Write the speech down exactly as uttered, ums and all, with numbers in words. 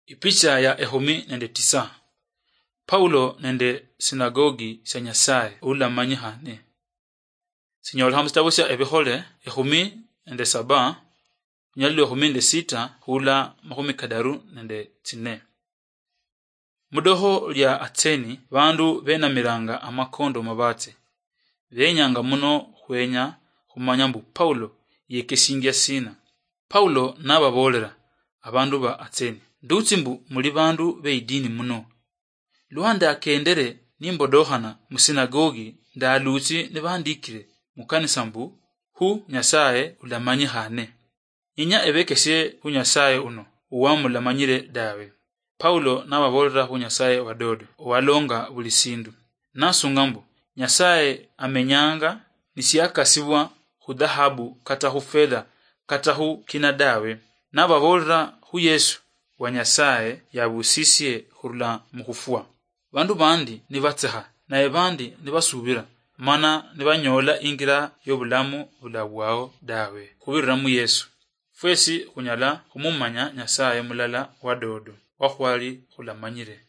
Ipicha ya ehumi nende tisa. Paulo nende sinagogi sya Nyasaye ulamanyihane. Sinyolekha mu sitabo sya Ebihole ehumi nende saba, lunyali lwa ehumi nende sita hula mahumi kadaru nende tsine. Mudoho lya Atseni, bandu benamiranga amakondo mabatse. Benyanga muno khwenya khumanya mbu Paulo yekesingia sina. Paulo nababolera, abandu ba Atseni, ndutsi mbu muli bandu be idini muno. Lwa ndakendere nimbodokhana mu sinagogi, ndalutsi nibandikire mu kanisa mbu, hu Nyasaye ulamanyikhane. Inya ebekesie hu Nyasaye uno, uwamulamanyire dawe. Paulo nababolera hu Nyasaye wadodo, owalonga buli sindu. Nasunga mbu, Nyasaye amenyanga nisiakasibwa hu dhahabu kata hu fedha kata hu kina dawe. Nababolera hu Yesu wa Nyasaye yabusisie hurula mu hufwa. Bandu bandi nibatseha, naye bandi nibasubira, mana nibanyoola ingira yobulamu bulabwao dawe, khubirira mu Yesu. Fwesi khunyala khumumanya Nyasaye mulala wa dodo, wa khwali khulamanyire.